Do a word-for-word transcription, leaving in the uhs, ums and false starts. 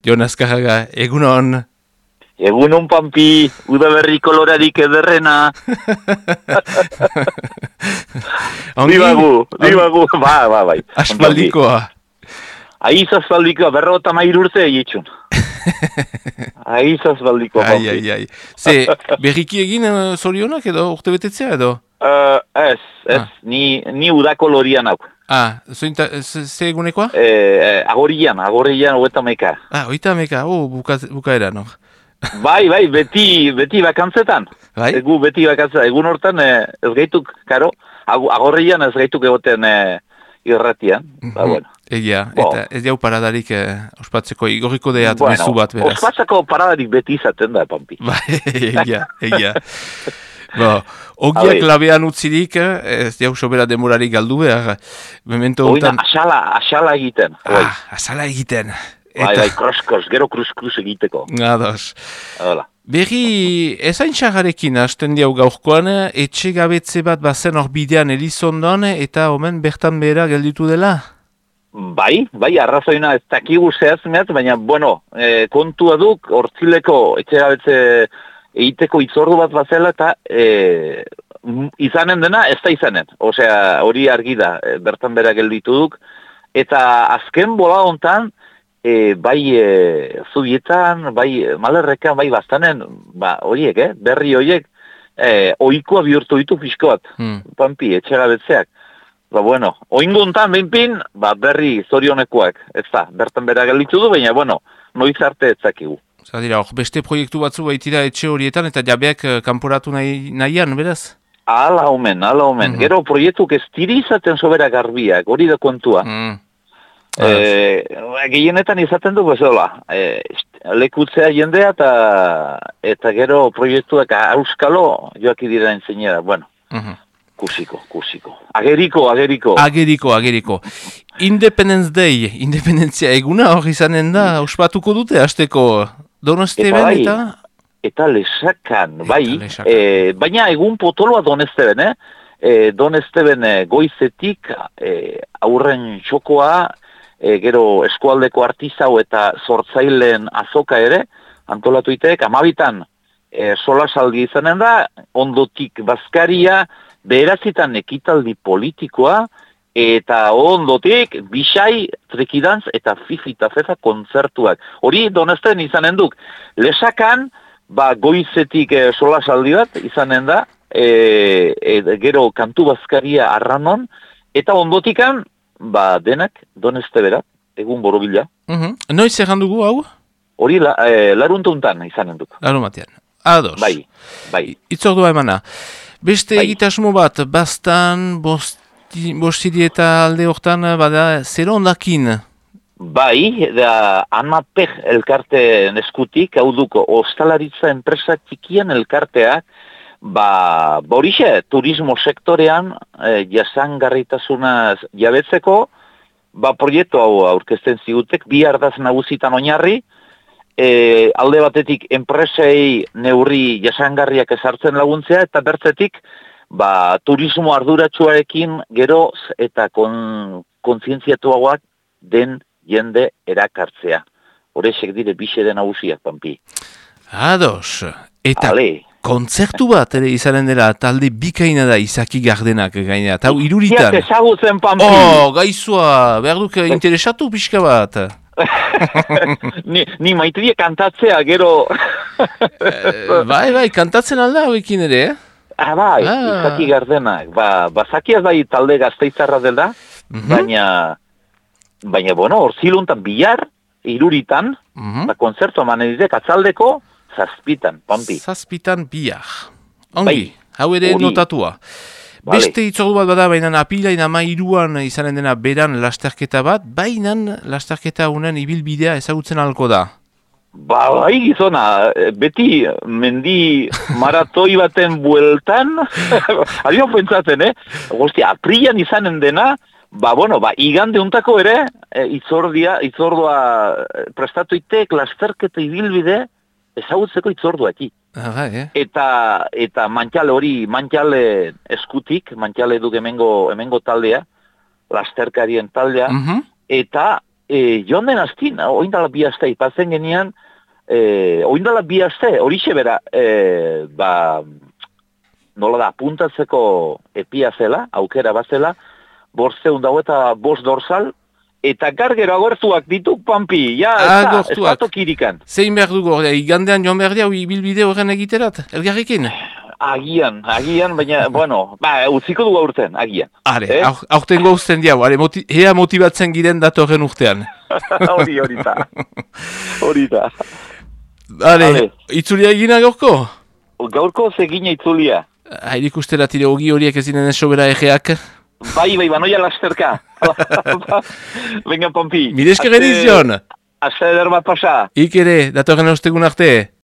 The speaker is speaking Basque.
Jon Azkarraga, egunon. Egunon Pampi, udaberri kolorarik ederrena. Dibagu, dibagu, ba, ba, bai. Aspaldikoa. Aiz aspaldikoa, berrota mair urte egitxun. Aiz aspaldikoa, Pampi. Ai, ai, ai. Ze, berriki egin uh, zorionak edo, urte betetzea edo? Uh, ez, ez, Ah. ni, ni udakolorian hau. Ah, zointa, ze, ze egunekoa? Eh, agorian, agorian hogeita meka. Ah, oita meka, oh, buka, bukaera, no? Bai, bai, beti, beti bakantzetan. Bai? Egu beti bakantzetan. Egun hortan eh, ez gaituk, karo, agorrian ez gaituk egoten eh, irratian. Mhm. Ba, bueno. Egia, Bo. eta ez jau paradarik eh, ospatzeko igorriko deat Bueno, mezu bat, beraz. ospatzako paradarik beti izaten da, Pampi. Bai, egia, egia. Bo, ogiak Habe. labean utzirik, eh, ez jau sobera demorari galdu behar. Memento Oina, honetan... asala, asala egiten. Bai, Ah, azala egiten. bai, bai, kros-kros, gero krus-krus egiteko. Ados. Hola. Berri, ezain txagarekin hasten diau gaurkoan, etxe gabetze bat bazen hor bidean Elizondon, eta omen bertan behera gelditu dela? Bai, bai, arrazoina ez dakigu zehazmeat, baina, bueno, eh, kontua duk, hortzileko etxegabetze egiteko itzordu bat bazela, eta eh, m- izanen dena, ez da izanen. Osea, hori argi da, eh, bertan bera gelditu duk. Eta azken bola hontan, e, bai e, zubietan, bai e, malerrekan, bai bastanen, ba, horiek, eh, berri horiek, e, oikoa bihurtu ditu pixko bat, Hmm. Pampi, etxegabetzeak. Ba, bueno, oingo hontan, behinpin, ba, berri zorionekoak, ez da, bertan bera gelditu du, baina, bueno, noiz arte ez dakigu. Zer dira, hor beste proiektu batzu baitira etxe horietan, eta jabeak eh, kanporatu nahi, nahian, beraz? Ala omen, ala omen. Mhm. Gero proiektuk ez diri izaten sobera garbiak, hori da kontua. Mm. Eh, gehienetan izaten du bezola, eh, lekutzea jendea eta eta gero proiektuak auskalo joaki dira entzeinera, bueno, Mhm. kusiko, kusiko. Ageriko, ageriko. Ageriko, ageriko. Independence Day, independentzia eguna hor izanen da, ospatuko dute, hasteko Donosteben Eta bai, eta... Eta lesakan, bai, lesakan. eh, baina egun potoloa Donesteben, eh? Eh, Donesteben eh, goizetik eh, aurren txokoa, eh, gero eskualdeko artizau eta sortzaileen azoka ere, antolatu iteek, amabitan eh, solasaldi izanen da, ondotik bazkaria, beherazitan ekitaldi politikoa, eta ondotik bisai, trekidantz eta fifi eta fefa kontzertuak. Hori Donesten izanen duk. Lesakan, ba, goizetik e, solasaldi bat izanen da, e, e, gero kantu bazkaria arranon, eta ondotikan, ba, denak Doneste bera, egun borobila. Mhm. Noiz erran dugu hau? Hori la, e, laruntuntan izanen duk. Laro matean. Ados. Bai, bai. Itzordua emana. Beste Bai. egitasmo bat, bastan, bosti, bostiri eta alde hortan, bada, zer ondakin? Bai, da Anapeg elkarte eskutik, hau duko, ostalaritza enpresa txikien elkarteak, ba, borixe, turismo sektorean, e, jasangarritasunaz jabetzeko, ba, proiektu hau aurkezten zigutek, bi ardaz nagusitan oinarri, e, alde batetik enpresei neurri jasangarriak ezartzen laguntzea, eta bertzetik, ba, turismo arduratsuarekin geroz eta kon, kontzientziatuagoak den jende erakartzea. Horexek dire bixede nagusiak, Pampi. Ados. Eta Ale. kontzertu bat ere izanen dela, talde bikaina da Izaki Gardenak gaina. Eta hau iruritan. Ziak ezagutzen, Pampi. Oh, gaizua, behar duk interesatu pixka bat. ni, ni maiterie kantatzea, gero... Eh, bai, bai, kantatzen alda hauekin ere, eh? ah, bai, Ah. Izaki Gardenak. Ba, bazakiaz bai talde gazteizarra dela, Mhm. baina, baina, bueno, orziluntan bihar, iruritan, Mhm. ba, konzertu eman editek atzaldeko, zazpitan, Pampi. Zazpitan bihar. Ongi, Bai. hau ere Hori. notatua. Vale. Beste itzordu bat bada, baina apilain ama iruan izanen dena beran lasterketa bat, baina lasterketa unen ibilbidea ezagutzen halko da. Ba, bai gizona, beti mendi maratoi baten bueltan, adio pentsatzen, eh? Guzti, aprilan izanen dena, ba, bueno, ba, igande untako ere, e, itzordia, itzordua prestatuitek lasterketa ibilbide ezagutzeko itzorduaki. Ah, bai, eh? Eta, eta mantxale hori, mantxale eskutik, mantxale duk hemengo, hemengo taldea, lasterkarien taldea, Mhm. eta e, joan den astin, oindala bi aste ipatzen genian, e, oindala bi aste, horixe bera, e, ba, nola da, puntatzeko epia zela, aukera bazela, bortzeun dago eta bost dorsal, eta gargero agortuak dituk, Pampi, ja, ez da tokirikan. Zein behar dugu, igandean joan behar diau ibilbide horren egiterat, elgarrikin? Agian, agian, baina, bueno, ba, utziko dugu aurten, agian. Are, eh? aurten gauzten diau, are, moti ea motibatzen giren datorren urtean. Hori, hori da. Hori da. Are, itzulia egina gaurko? Gaurko zegina itzulia. Hairik ustela tire hogi horiek ezinen esobera egeak. Bai, bai, banoia lasterka. Venga, Pampi. Mireske genizion. Aste eder bat pasa. Ik ere, datorren ostegun arte.